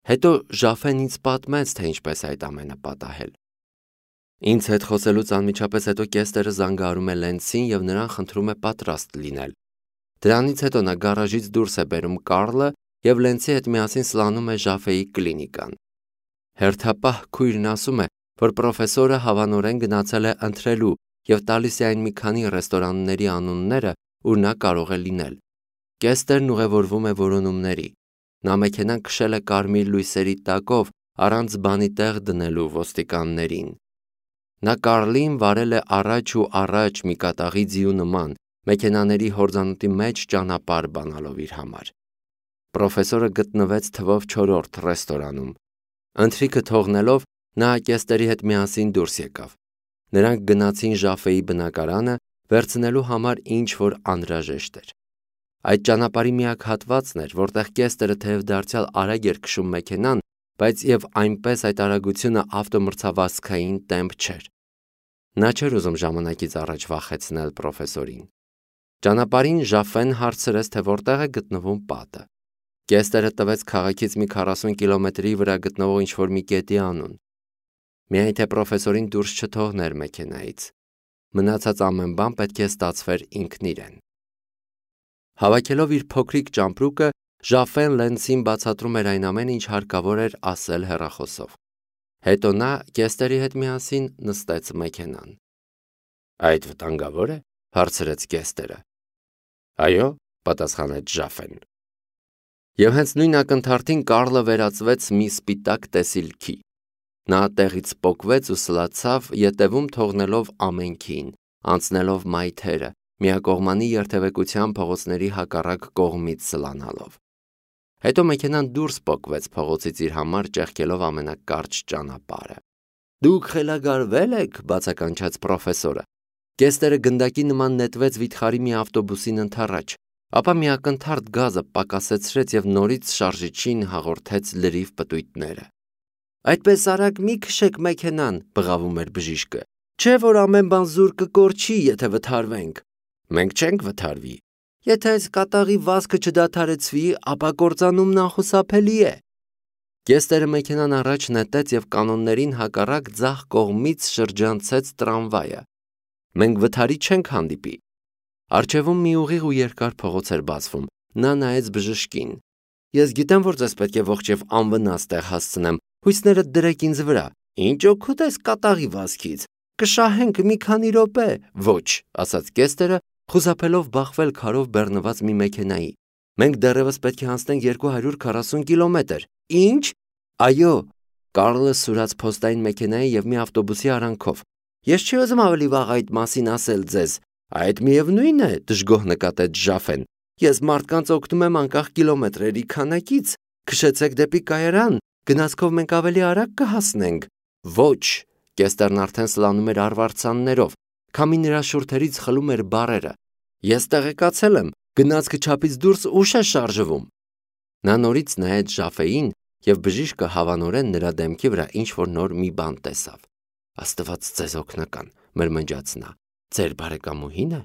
Հետո Ժաֆեն ինձ պատմեց, թե ինչպես այդ ամենը պատահել։ Ինձ հետ խոսելուց անմիջապես հետո Կեստերը զանգահարում է Լենցին և նրան խնդրում է պատրաստ լինել։ Դրանից հետո նա գարաժից դուրս է բերում Կարլը և Լենցի հետ միասին սլանում է Ժաֆեի կլինիկան։ Հերթապահ քույրն ասում է, որ պրոֆեսորը հավանորեն գնացել է ընթրելու և տալիս է այն մի քանի ռեստորանների անունները, ուր նա կարող է լինել։ Կեստերն ուղևորվում է որոնումների։ Նա մեքենան քշել է կարմիր լույսերի տակով, առանց բանի տեղ դնելու ոստիկաններին։ Նա Կարլին վարել է առաջ ու առաջ մի կատաղի ձիու նման, մեքենաների հորձանուտի մեջ ճանապարհ բանալով իր համար։ Պրոֆեսորը գտնվեց թվով 4-րդ ռեստորանում։ Ընթրիքը թողնելով, նա Կեստերի հետ միասին դուրս եկավ։ Նրանք գնացին Ժաֆեի բնակարանը, վերցնելու համար ինչ որ անհրաժեշտ էր։ Այդ ճանապարհի միակ հատվածն էր, որտեղ Կեստերը թեև դարձյալ արագ էր քշում մեքենան, բայց եւ այնպես այդ արագությունը ավտոմրցավազքային տեմպ չէր։ Նա չէր ուզում ժամանակից առաջ վախեցնել պրոֆեսորին։ Ճանապարհին Ժաֆեն հարցրեց, թե որտեղ է գտնվում պատը։ Կեստերը տվեց քաղաքից մի 40 կիլոմետրի վրա գտնվող ինչ-որ մի կետի անուն։ Միայն թե պրոֆեսորին դուրս չթողներ մեքենայից։ Մնացած ամեն բան պետք է ստացվեր ինքն իրեն։ Հավաքելով իր փոքրիկ ճամպրուկը, Ժաֆեն Լենցին բացատրում էր այն ամենը, ինչ հարկավոր էր ասել հեռախոսով։ Հետո նա Կեստերի հետ միասին նստեց մեքենան։ Այդ վտանգավոր է, հարցրեց Կեստերը։ Այո, պատասխանեց Ժաֆեն։ Եվ հենց նույն ակնթարթին Կարլը վերածվեց մի սպիտակ տեսիլքի։ Նա տեղից պոկվեց ու սլացավ, ետևում թողնելով ամենքին, անցնելով մայթերը, միակողմանի երթևեկության փողոցների հակառակ կողմից սլանալով։ Հետո մեքենան դուրս պոկվեց փողոցից իր համար ճեղքելով ամենակարճ ճանապարհը։ Դուք խելագարվել եք, բացականչեց պրոֆեսորը։ Կեստերը գնդակի նման նետվեց վիթխարի մի ավտոբուսին ընդառաջ, ապա մի ակնթարթ գազը պակասեցրեց և նորից շարժիչին հաղորդեց լրիվ պտույտները։ Այդպես արագ մի քշեք մեքենան, բղավում էր բժիշկը։ Չէ՞ որ ամեն բան զուր կկորչի, եթե վթարվենք։ Մենք չենք վթարվի։ Եթե այս կատաղի վազքը չդադարեցվի, ապա կործանումն անխուսափելի է։ Կեստերը մեքենան առաջ նետեց և կանոններին հակառակ ձախ կողմից շրջանցեց տրամվայը։ Մենք վթարի չենք հանդիպի։ Առջևում մի ուղիղ ու երկար փողոց էր բացվում։ Նա նայեց բժշկին։ Ես գիտեմ, որ ձեզ պետք է ողջ և անվնաս տեղ հասցնեմ։ Հույսներդ դրեք ինձ վրա։ Ինչ օգուտ ես կատաղի վազքից։ Կշահենք մի քանի րոպե։ Ոչ, ասաց Կեստերը, խուսափելով բախվել քարով բեռնված մի մեքենայի։ Մենք դեռևս պետք է անցնենք 240 կիլոմետր։ Ինչ։ Այո, Կարլը սուրաց փոստային մեքենայի և մի ավտոբուսի արանքով։ Ես չի ուզում ավելի վաղ այդ մասին ասել ձեզ։ Այդ միևնույն է, դժգոհ նկատեց Ժաֆեն։ Ես մարդկանց օգնում եմ անկախ կիլոմետրերի քանակից։ Քշեցեք դեպի կայարան, գնացքով մենք ավելի արագ կհասնենք։ Ոչ, Կեստերն արդեն սլանում էր արվարձաններով, քամին նրա շուրթերից խլում էր բառերը։ Ես տեղեկացել եմ, գնացքը չափից դուրս ուշ է շարժվում։ Նա նորից նայեց Ժաֆեին, և բժիշկը հավանորեն նրա դեմքի վրա ինչ-որ նոր մի բան տեսավ։ Աստված ձեզ օգնական, մրմնջաց նա։ Ձեր բարեկամուհի՞ն է։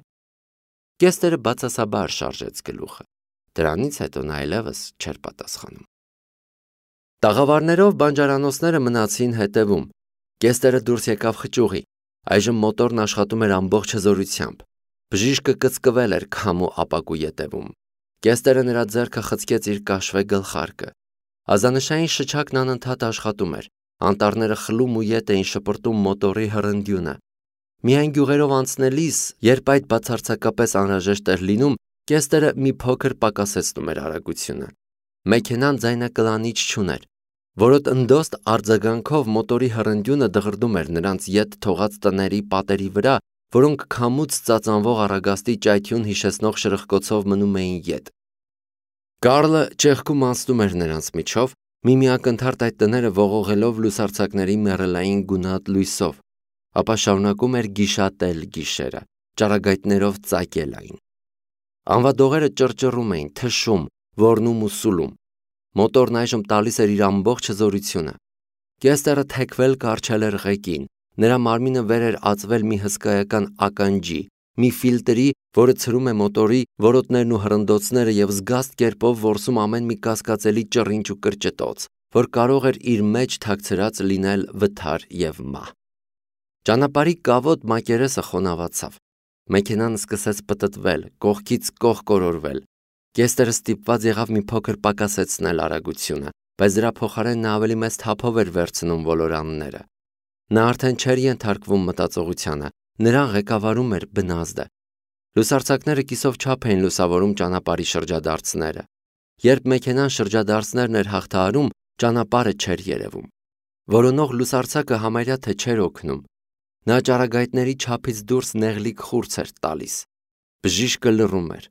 Կեստերը բացասաբար շարժեց գլուխը։ Դրանից հետո նա այլևս չէր պատասխանում։ Տաղավարներով բանջարանոցները մնացին հետևում։ Կեստերը դուրս եկավ խճուղի։ Այժմ մոտորն աշխատում էր ամբողջ հզորությամբ։ Բժիշկը կծկվել էր քամու ապակու ետևում։ Կեստերը նրա ձեռքը խցկեց իր կաշվե գլխարկը։ Ազանշային շչակն անընդհատ աշխատում էր։ Անտառները խլում ու ետ էին շպրտում մոտորի հռնդյունը։ Միայն գյուղերով անցնելիս, երբ այդ բացարձակապես անհրաժեշտ էր լինում, Կեստերը մի փոքր պակասեցնում էր արագությունը։ Մեքենան ձայնակլանիչ չուներ։ Որոտ ընդոստ արձագանքով մոտորի հռնդյունը դղրդում էր նրանց ետ թողած տների պատերի վրա, որոնք քամուց ծածանվող առագաստի ճայթյուն հիշեցնող շրխկոցով մնում էին ետ։ Կարլը ճեղքում անցնում էր նրանց միջով, մի ակնթարթ այդ տները ողողելով լուսարձակների մեռելային գունատ լույսով, ապա շարունակում էր գիշատել գիշերը, ճառագայթներով ծակել այն։ Անվադողերը ճռճռում էին, թշում, ոռնում ու սուլում։ Մոտորն այժմ տալիս էր իր ամբողջ հզորությունը։ Կեստերը թեքվել կառչել էր ղեկին, նրա մարմինը վեր էր ածվել մի հսկայական ականջի, մի ֆիլտրի, որը ցրում է մոտորի որոտներն ու հրնդոցները և զգաստ կերպով որսում ամեն մի կասկածելի ճռինչ ու կրճտոց, որ կարող էր իր մեջ թաքցրած լինել վթար եւ մահ։ Ճանապարհի կավոտ մակերեսը խոնավացավ։ Մեքենան սկսեց պտտվել, կողքից կողք կորորվել։ Կեստերը ստիպված եղավ մի փոքր պակասեցնել արագությունը, բայց դրա փոխարեն նա ավելի մեծ թափով էր վերցնում ոլորանները։ Նա արդեն չէր ենթարկվում մտածողությանը, նրան ղեկավարում էր բնազդը։ Լուսարձակները կիսով չափ էին լուսավորում ճանապարհի շրջադարձները։ Երբ մեքենան շրջադարձներն էր հաղթահարում, ճանապարհը չէր երևում։ Որոնող լուսարձակը համարյա թե չէր օգնում։ Նա ճառագայթների չափից դուրս նեղլիկ խուրձ էր տալիս։ Բժիշկը լռում էր։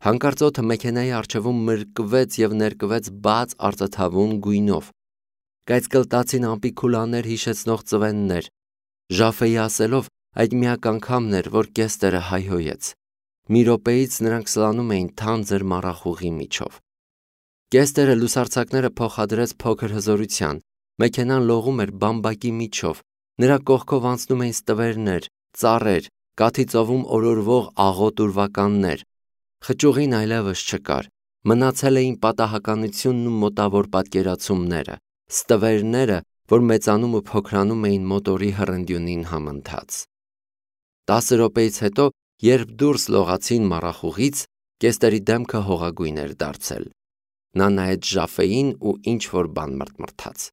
Հանկարծ օդը մեքենայի առջևում մրկվեց եւ ներկվեց բաց արծաթավուն գույնով։ Կայծկլտացին ամպի քուլաներ հիշեցնող ծվեններ։ Ժաֆեի ասելով, այդ միակ անգամն էր, որ Կեստերը հայհոյեց։ Մի րոպեից նրանք սլանում էին թանձր մառախուղի միջով։ Կեստերը լուսարձակները փոխադրեց փոքր հզորության։ Մեքենան լողում էր բամբակի միջով։ Նրա կողքով անցնում էին ստվերներ, ծառեր, կաթի ծովում օրորվող աղոտ ուրվականներ։ Խճուղին այլևս չկար։ Մնացել էին պատահականությունն ու մոտավոր պատկերացումները, ստվերները, որ մեծանում ու փոքրանում էին մոտորի հռնդյունին համընթաց։ 10 րոպեից հետո, երբ դուրս լողացին մառախուղից, Կեստերի դեմքը հողագույն էր դարձել։ Նա նայեց Ժաֆեին ու ինչ-որ բան մրթմրթաց։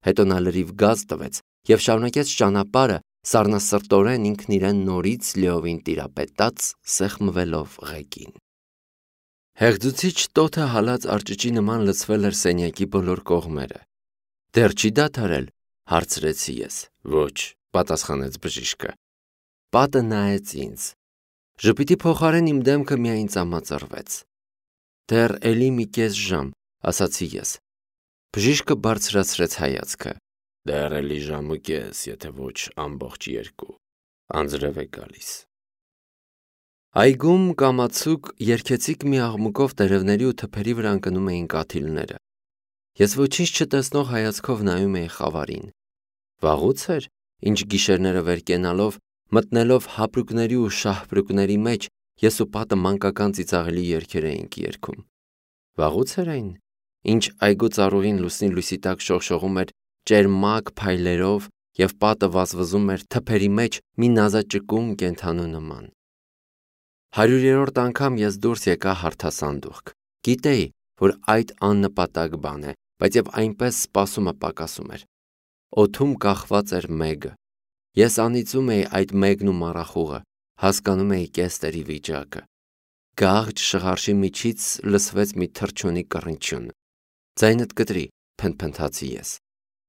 Հետո նա լրիվ գազ տվեց եւ շարունակեց ճանապարհը, սառնասրտորեն ինքն իրեն նորից լիովին տիրապետած, սեղմվելով ղեկին։ Հեղձուցիչ տոթը հալած արճճի նման լցվել էր սենյակի բոլոր կողմերը։ Դեռ չի դադարել, հարցրեցի ես։ Ոչ, պատասխանեց բժիշկը։ Պատը նայեց ինձ։ Ժպիտի փոխարեն իմ դեմքը միայն ծամածրվեց։ Դեռ էլի մի կես ժամ, ասացի ես։ Բժիշկը բարձրացրեց հայացքը։ Դեռ էլի ժամ ու կես, եթե ոչ ամբողջ 2, անձրև է գալիս։ Այգում կամացուկ երգեցիկ մի աղմուկով տերևների ու թփերի վրա ընկնում էին կաթիլները։ Ես ոչինչ չտեսնող հայացքով նայում էի խավարին։ Վաղուց էր, ինչ գիշերները վեր կենալով, մտնելով հապրուկների ու շահպրուկների մեջ, ես ու պատը մանկական ծիծաղելի երգեր էինք երգում։ Վաղուց էր այն, ինչ այգու ծառուղին լուսնի լույսի տակ շողշողում էր ճերմակ փայլերով եւ պատը վազվզում էր թփերի մեջ մի նազաճկուն կենդանու նման։ 100-րդ անգամ ես դուրս եկա հարթասանդուղք։ Գիտեի, որ այդ աննպատակ բան է, բայց եւ այնպես սպասումը պակասում էր։ Օդում կախված էր մեգը։ Ես անիծում էի այդ մեգն ու մառախուղը, հասկանում էի Կեստերի վիճակը։ Գաղջ շղարշի միջից լսվեց մի թռչունի կռնչյուն։ Ձայնդ կտրի, փնթփնթացի ես։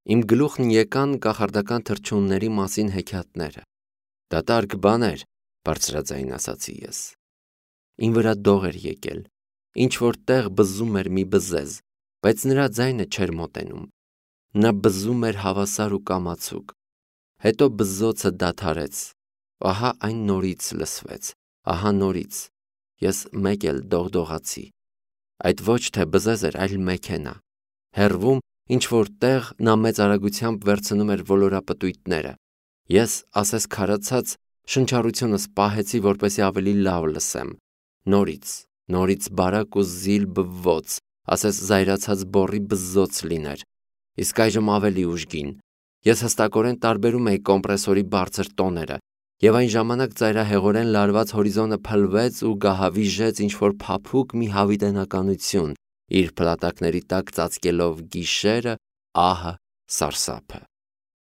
Իմ գլուխն եկան կախարդական թռչունների մասին հեքիաթները։ Դատարկ բան էր, բարձրաձայն ասացի ես։ Իմ վրա դող էր եկել։ Ինչ որ տեղ բզում էր մի բզեզ, բայց նրա ձայնը չէր մոտենում։ Նա բզում էր հավասար ու կամացուկ։ Հետո բզզոցը դադարեց։ Ահա այն նորից լսվեց։ Ահա նորից։ Ես մեկ էլ դողդողացի։ Այդ ոչ թե բզեզ էր, այլ մեքենա։ Հեռվում ինչ որ տեղ նա մեծ արագությամբ վերցնում էր ոլորապտույտները։ Ես, ասես քարացած, շնչառությունս պահեցի, որպեսզի ավելի լավ լսեմ։ Նորից բարակ ու զիլ բվոց, ասես զայրացած բոռի բզզոց լիներ։ Իսկ այժմ ավելի ուժգին։ Ես հստակորեն տարբերում էի կոմպրեսորի բարձր տոները, եւ այն ժամանակ ծայրահեղորեն լարված հորիզոնը փլվեց ու գահավիժեց ինչ-որ փափուկ մի հավիտենականություն, իր փլատակների տակ ծածկելով գիշերը, ահը, սարսափը։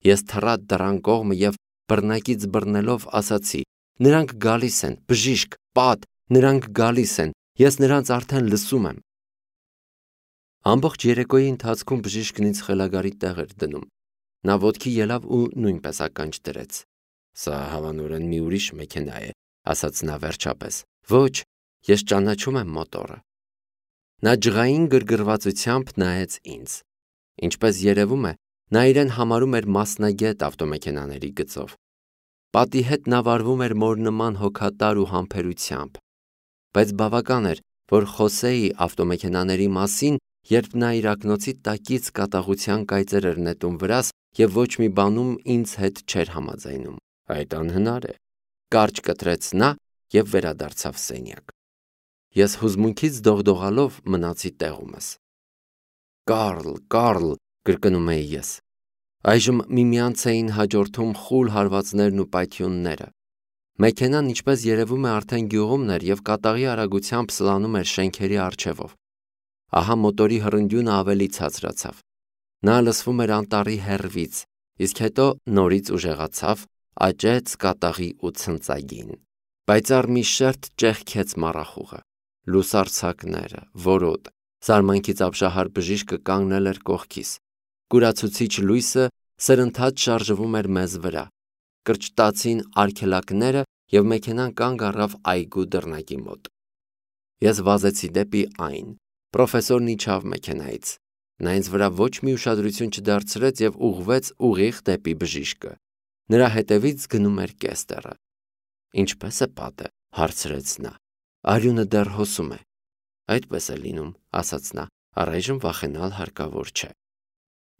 Ես թռա դռան կողմը եւ բռնակից բռնելով ասացի. նրանք գալիս են, բժիշկ, պատ, նրանք գալիս են, ես նրանց արդեն լսում եմ։ Ամբողջ երեկոյի ընթացքում բժիշկն ինձ խելագարի տեղ էր դնում։ Նա ոտքի ելավ ու նույնպես ականջ դրեց։ Սա հավանորեն մի ուրիշ մեքենա է, ասաց նա վերջապես։ Ոչ, ես ճանաչում եմ մոտորը։ Նա ջղային գրգռվածությամբ նայեց ինձ։ Ինչպես երևում է, նա իրեն համարում էր մասնագետ ավտոմեքենաների գծով։ Պատի հետ նա վարվում էր մոր նման հոգատար ու համբերությամբ։ Բայց բավական էր, որ խոսեի ավտոմեքենաների մասին, երբ նա իր ակնոցի տակից կատաղության կայծեր էր նետում վրաս եւ ոչ մի բանում ինձ հետ չէր համաձայնում։ Այդ անհնար է։ Կարճ կտրեց նա եւ վերադարձավ սենյակ։ Ես հուզմունքից դողդողալով մնացի տեղումս։ Կարլ, կրկնում էի ես։ Այժմ միմյանց էին հաջորդում խուլ հարվածներն ու պայթյունները։ Մեքենան, ինչպես երևում է, արդեն գյուղումն էր և կատաղի արագությամբ սլանում էր շենքերի առջևով։ Ահա մոտորի հռնդյունը ավելի ցածրացավ։ Նա լսվում էր անտառի հեռվից, իսկ հետո նորից ուժեղացավ, աճեց կատաղի ու ցնծագին։ Պայծառ մի շերտ ճեղքեց մառախուղը, լուսարձակները, որոտ, զարմանքից ապշահար բժիշկը կանգնել էր կողքիս։ Կուրացուցիչ լույսը սրընթաց շարժվում էր մեզ վրա։ Կրճտացին արգելակները և մեքենան կանգ առավ այգու դռնակի մոտ։ Ես վազեցի դեպի այն։ Պրոֆեսորն իջավ մեքենայից։ Նա ինձ վրա ոչ մի ուշադրություն չդարձրեց և ուղղվեց ուղիղ դեպի բժիշկը։ Նրա հետևից գնում էր Կեստերը։ Ինչպե՞ս է պատը, հարցրեց նա։ Արյունը դեռ հոսում է։ Այդպես է լինում, ասաց նա, առայժմ վախենալ հարկավոր չէ։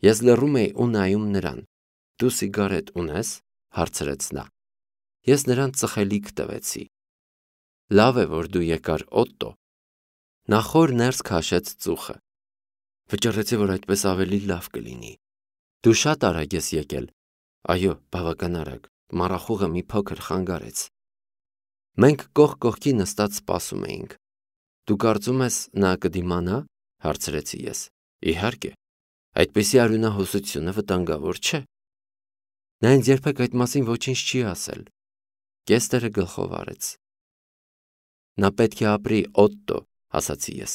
Ես լռում էի ու նայում նրան։ Դու սիգարետ ունես, հարցրեց նա։ Ես նրան ծխելիք տվեցի։ Լավ է, որ դու եկար, Օտտո։ Նա խոր ներս քաշեց ծուխը։ Վճռեցի, որ այդպես ավելի լավ կլինի։ Դու շատ արագ ես եկել։ Այո, բավական արագ։ Մառախուղը մի փոքր խանգարեց։ Մենք կողք կողքի նստած սպասում էինք։ Դու կարծում ես նա կդիմանա, հարցրեցի ես։ Իհարկե, այդպիսի արյունահոսությունը վտանգավոր չէ։ Նա ինձ երբեք այդ մասին ոչինչ չի ասել։ Կեստերը գլխով արեց։ Նա պետք է ապրի, Օտտո, ասացի ես։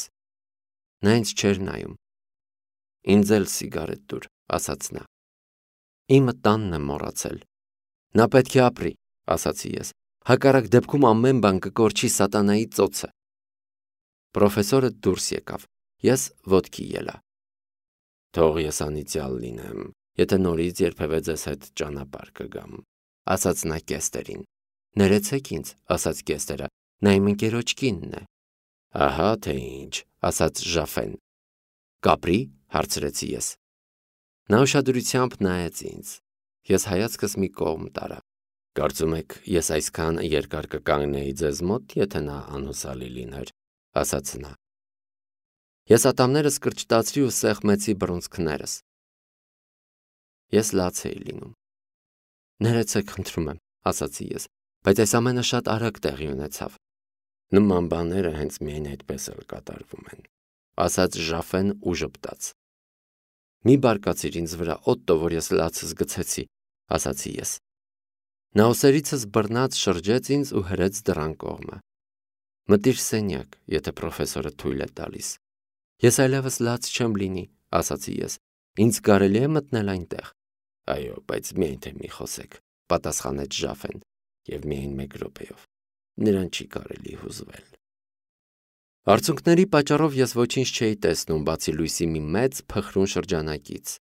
Նա ինձ չէր նայում։ Ինձ էլ սիգարետ տուր, ասաց նա։ Իմը տանն եմ մոռացել։ Նա պետք է ապրի, ասացի ես։ Հակառակ դեպքում ամեն բան կկորչի սատանայի ծոցը։ Պրոֆեսորը դուրս եկավ։ Ես ոտքի ելա։ Թող ես անիծյալ լինեմ, եթե նորից երբևէ ձեզ հետ ճանապարհ կգամ, ասաց նա Կեստերին։ Ներեցեք ինձ, ասաց Կեստերը, նա իմ ընկերոջ կինն է։ Ահա թե ինչ, ասաց Ժաֆեն։ Կապրի, հարցրեցի ես։ Նա ուշադրությամբ նայեց ինձ։ Ես հայացքս մի կողմ տարա։ Կարծում եք, ես այսքան երկար կկանգնեի ձեզ մոտ, եթե նա անհուսալի լիներ, ասաց նա։ Ես ատամներս կրճտացրի ու սեղմեցի բռունցքներս։ Ես լաց էի լինում։ Ներեցեք, խնդրում եմ, ասացի ես, բայց այս ամենը շատ արագ տեղի ունեցավ։ Նման բաները հենց միայն այդպես էլ կատարվում են, ասաց Ժաֆեն ու ժպտաց։ Մի բարկացիր ինձ վրա, Օտտո, որ ես լացս գցեցի, ասացի ես։ Նա ուսերիցս բռնած շրջեց ինձ ու հրեց դռան կողմը։ Մտիր սենյակ, եթե պրոֆեսորը թույլ է տալիս։ Ես այլևս լաց չեմ լինի, ասացի ես։ Ինձ կարելի է մտնել այնտեղ։ Այո, բայց միայն թե մի խոսեք, պատասխանեց Ժաֆեն, և միայն 1 րոպեով։ Նրան չի կարելի հուզվել։ Արցունքների պատճառով ես ոչինչ չէի տեսնում, բացի լույսի մի մեծ փխրուն շրջանակից։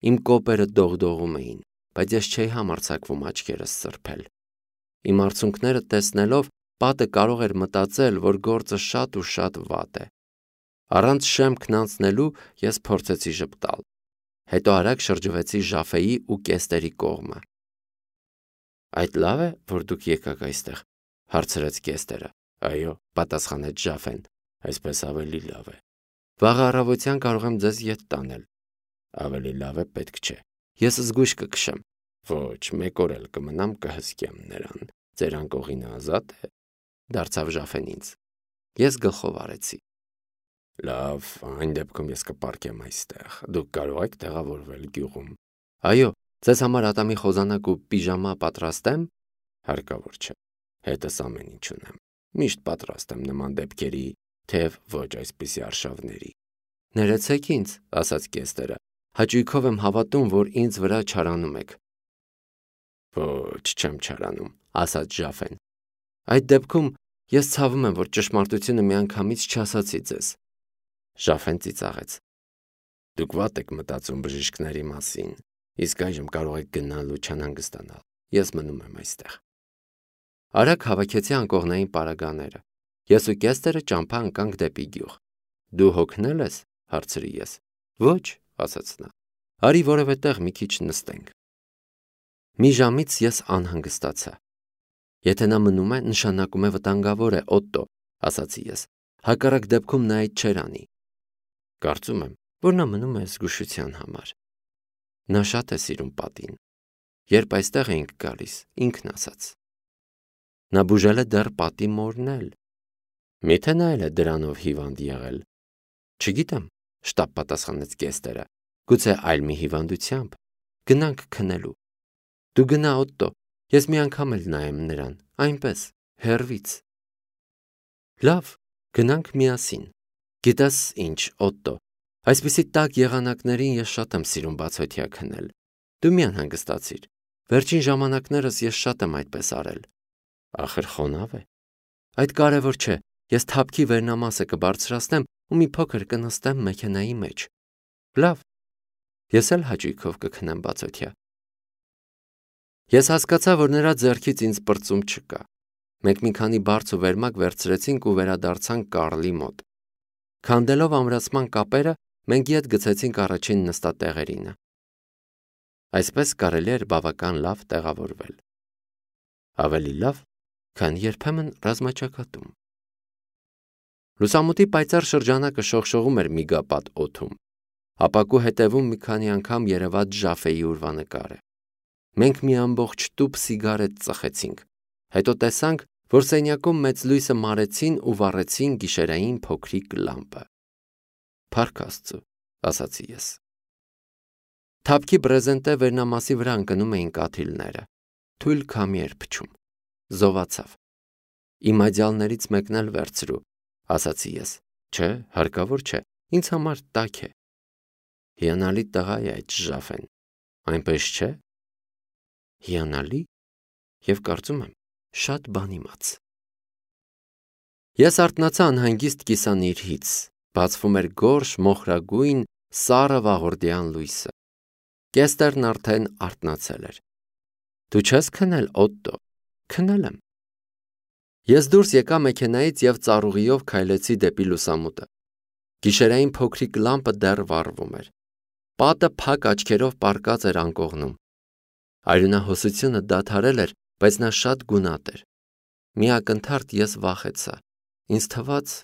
Իմ կոպերը դողդողում էին, բայց ես չէի համարձակվում աչքերս սրբել։ Իմ արցունքները տեսնելով, պատը կարող էր մտածել, որ գործը շատ ու շատ վատ է։ Առանց շեմքն անցնելու ես փորձեցի ժպտալ։ Հետո արագ շրջվեցի Ժաֆեի ու Կեստերի կողմը։ Այդ լավ է, որ դուք եկաք այստեղ, հարցրեց Կեստերը։ Այո, պատասխանեց Ժաֆեն, այսպես ավելի լավ է։ Վաղ առավոտյան կարող եմ ձեզ ետ տանել։ Ավելի լավ է, պետք չէ։ Ես զգույշ կքշեմ։ Ոչ, 1 օր էլ կմնամ, կհսկեմ նրան։ Ձեր անկողինը ազատ է, դարձավ Ժաֆեն ինձ։ Ես գլխով արեցի։ Լավ, այն դեպքում ես կպառկեմ այստեղ։ Դուք կարող եք տեղավորվել գյուղում։ Այո, ձեզ համար ատամի խոզանակ ու պիժամա պատրաստեմ։ Հարկավոր չէ։ Հետս ամեն ինչ ունեմ։ Միշտ պատրաստ եմ նման դեպքերի, թեև ոչ այսպիսի արշավների։ Ներեցեք ինձ, ասաց Կեստերը։ Հաճույքով եմ հավատում, որ ինձ վրա չարանում եք։ Ոչ, չեմ չարանում, ասաց Ժաֆեն։ Այդ դեպքում ես ցավում եմ, որ ճշմարտությունը միանգամից չասացի ձեզ։ Ժաֆեն ծիծաղեց։ Դուք վատ եք մտածում բժիշկների մասին, իսկ այժմ կարող եք գնալ ու չանհանգստանալ։ Ես մնում եմ այստեղ։ Արագ հավաքեցի անկողնային պարագաները։ Ես ու Կեստերը ճամփա ընկանք դեպի գյուղ։ Դու հոգնել ես, հարցրի ես։ Ոչ, ասաց նա։ Արի որևէ տեղ մի քիչ նստենք։ Մի ժամից ես անհանգստացա։ Եթե նա մնում է, նշանակում է վտանգավոր է, Օտտո, ասացի ես։ Հակառակ դեպքում նա այդ չէր անի։ Կարծում եմ, որ նա մնում է զգուշության համար, Նա շատ է սիրում պատին։ Երբ այստեղ էինք գալիս, ինքն ասաց։ Նա բուժել է դեռ պատի մորնել։ Միթե նա էլ է դրանով հիվանդ եղել։ Չգիտեմ, շտապ պատասխանեց Կեստերը։ Գուցե այլ մի հիվանդությամբ։ Գնանք քնելու։ Դու գնա, Օտտո, ես մի անգամ էլ նայեմ նրան, այնպես, հեռվից։ Լավ, գնանք միասին։ Գիտես ինչ, Օտտո, այսպիսի տաք եղանակներին ես շատ եմ սիրում բացօթյա քնել։ Դու մի անհանգստացիր։ Վերջին ժամանակներս ես շատ եմ այդպես արել։ Ախր խոնավ է։ Այդ կարևոր չէ, ես թափքի վերնամասը կբարձրացնեմ ու մի փոքր կնստեմ մեքենայի մեջ։ Լավ, ես էլ հաճույքով կքնեմ բացօթյա։ Ես հասկացա, որ նրա ձեռքից ինձ պրծում չկա։ Մենք մի քանի բարձ ու վերմակ վերցրեցինք ու վերադարձանք Կարլի մոտ։ Քանդելով ամրացման կապերը, մենք ետ գցեցինք առաջին նստատեղերինը։ Այսպես կարելի էր բավական լավ տեղավորվել։ Ավելի լավ, քան երբեմն ռազմաճակատում։ Լուսամուտի պայծառ շրջանակը շողշողում էր միգապատ օդում։ Ապակու հետևում մի քանի անգամ երևաց Ժաֆեի ուրվանկարը։ Մենք մի ամբողջ տուփ սիգարետ ծխեցինք, հետո տեսանք, որ սենյակում մեծ լույսը մարեցին ու վառեցին գիշերային փոքրիկ լամպը։ Փառք Աստծո, ասացի ես։ Թափքի բրեզենտե վերնամասի վրա ընկնում էին կաթիլները։ Թույլ քամի էր փչում։ Զովացավ։ Իմ այդյալներից մեկն էլ վերցրու, ասացի ես։ Չէ, հարկավոր չէ, ինձ համար տաք է։ Հիանալի տղա է այդ Ժաֆեն, այնպես չէ։ Հիանալի և կարծում եմ շատ բան իմաց։ Ես արթնացա անհանգիստ կիսանիրհից, բացվում էր գորշ, մոխրագույն, սառը վաղորդյան լույսը։ Կեստերն արդեն արթնացել էր։ Դու չես քնել, Օտտո։ Քնել եմ։ Ես դուրս եկա մեքենայից և ծառուղիով քայլեցի դեպի լուսամուտը։ Գիշերային փոքրիկ լամպը դեռ վառվում էր։ Պատը փակ աչքերով պառկած էր անկողնում։ Արյունահոսությունը դադարել էր, բայց նա շատ գունատ էր։ Մի ակնթարթ ես վախեցա։ Ինձ թվաց,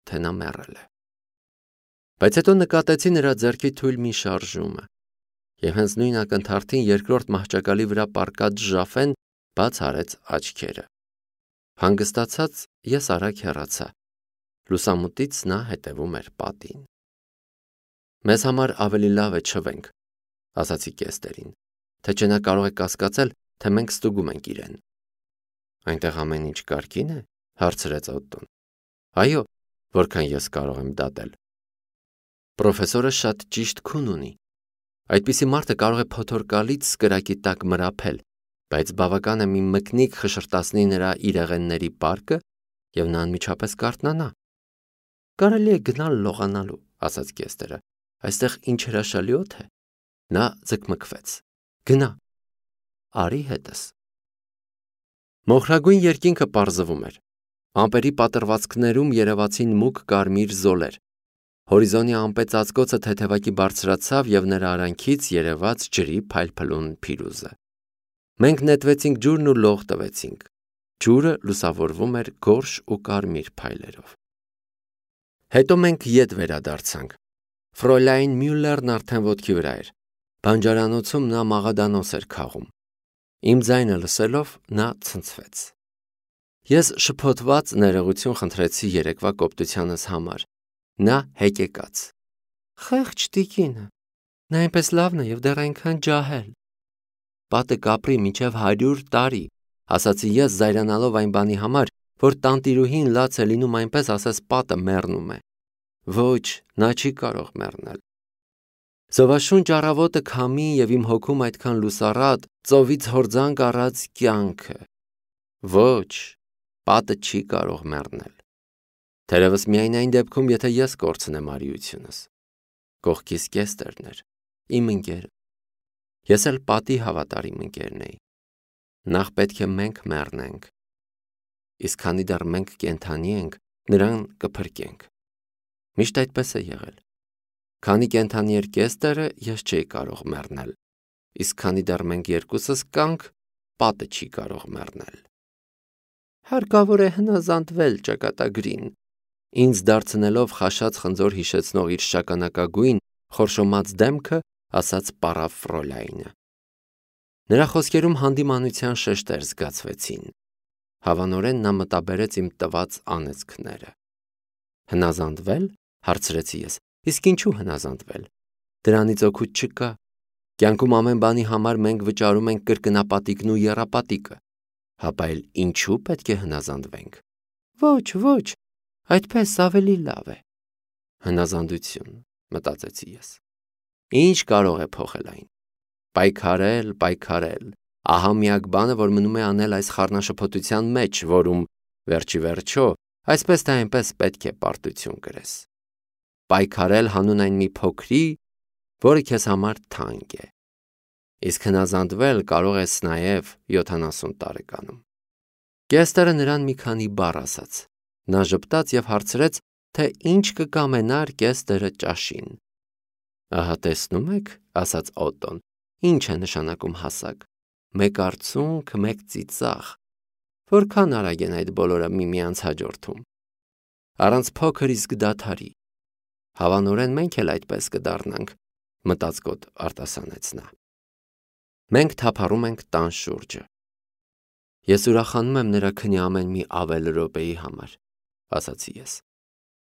թե նա մեռել է։ Բայց հետո նկատեցի նրա ձեռքի թույլ մի շարժումը։ Եվ հենց նույն ակնթարթին երկրորդ մահճակալի վրա պառկած Ժաֆեն բաց արեց աչքերը։ Հանգստացած ես արագ հեռացա։ Լուսամուտից նա հետևում էր պատին։ Մեզ համար ավելի լավ է չվենք, ասացի Կեստերին, թե չէ նա կարող է կասկածել, թե մենք ստուգում ենք իրեն։ Այնտեղ ամեն ինչ կարգին է, հարցրեց Օտտոն։ Այո, որքան ես կարող եմ դատել։ Պրոֆեսորը շատ ճիշտ քուն ունի։ Այդպիսի մարդը կարող է փոթորկալից կրակի տակ մրափել, բայց բավական է մի մկնիկ խշրտացնի նրա իրեղենների պարկը, և նա անմիջապես կարթնանա։ Կարելի է գնալ լողանալու, ասաց Կեստերը։ Այստեղ ինչ հրաշալի օդ է։ Նա ձգմգվեց։ Գնա։ Արի հետս։ Մոխրագույն երկինքը պարզվում էր։ Ամպերի պատրվածքներում երևացին մուգ կարմիր զոլեր։ Հորիզոնի ամպեծածկոցը թեթևակի բարձրացավ և նրա արանքից երևաց ջրի փայլփլուն փիրուզը։ Մենք նետվեցինք ջուրն ու լող տվեցինք։ Ջուրը լուսավորվում էր գորշ ու կարմիր փայլերով։ Հետո մենք ետ վերադարձանք։ Ֆրոյլայն Մյուլլերն արդեն ոտքի վրա էր։ Բանջարանոցում նա մաղադանոց էր քաղում։ Իմ ձայնը լսելով նա ցնցվեց։ Ես շփոթված ներողություն խնդրեցի երեկվա կոպտությանս համար։ Նա հեկեկաց։ Խեղճ տիկինը, նա այնպես լավն է և դեռ այնքան ջահել։ Պատը կապրի մինչև 100 տարի, ասացի ես զայրանալով այն բանի համար, որ տանտիրուհին լաց է լինում այնպես, ասես պատը մեռնում է։ Ոչ, նա չի կարող մեռնել։ Զովաշունչ առավոտը քամի և իմ հոգում այդքան լուսառատ, ծովից հորձանք առած կյանքը։ Ոչ, պատը չի կարող մեռնել։ Թերևս միայն այն դեպքում, եթե ես կորցնեմ արիությունս։ Կողքիս Կեստերն էր, իմ ընկերը։ Ես էլ պատի հավատարիմ ընկերն էի։ Նախ պետք է մենք մեռնենք։ Իսկ քանի դեռ մենք կենդանի ենք, նրան կփրկենք։ Միշտ այդպես է եղել։ Քանի կենդանի էր Կեստերը, ես չէի կարող մեռնել։ Իսկ քանի դեռ մենք երկուսս կանք, պատը չի կարող մեռնել։ Հարկավոր է հնազանդվել ճակատագրին։ Ինձ դարձնելով խաշած խնձոր հիշեցնող իր շագանակագույն, խորշոմած դեմքը, ասաց պարավ Ֆրոլայնը։ Նրա խոսքերում հանդիմանության շեշտեր զգացվեցին։ Հավանորեն նա մտաբերեց իմ տված անեծքները։ Հնազանդվել, հարցրեցի ես։ Իսկ ինչու հնազանդվել։ Դրանից օգուտ չկա։ Կյանքում ամեն բանի համար մենք վճարում ենք կրկնապատիկն ու եռապատիկը։ Հապա էլ ինչու պետք է հնազանդվենք։ Ոչ, այդպես ավելի լավ է։ Հնազանդություն, մտածեցի ես։ Ինչ կարող է փոխել այն։ Պայքարել, ահա միակ բանը, որ մնում է անել այս խառնաշփոթության մեջ, որում վերջի վերջո, այսպես թե այնպես պետք է պարտություն կրես։ Պայքարել հանուն այն մի փոքրի, որը քեզ համար թանկ է։ Իսկ հնազանդվել կարող ես նաև 70 տարեկանում։ Կեստրը նրան մի քանի բառ ասաց։ Նա ժպտաց եւ հարցրեց, թե ինչ կկամենար կեստրը ճաշին։ Ահա տեսնում եք, ասաց Օտոն, ինչ է նշանակում հասակ։ Մեկ արցունք, մեկ ծիծաղ։ Որքան արագ են այդ բոլորը միմյանց հաջորդում։ Առանց փոքր իսկ դադարի։ Հավանորեն մենք էլ այդպես կդառնանք, մտածկոտ արտասանեց նա։ Մենք թափառում ենք տան շուրջը։ Ես ուրախանում եմ նրա քնի ամեն մի ավել րոպեի համար, ասացի ես։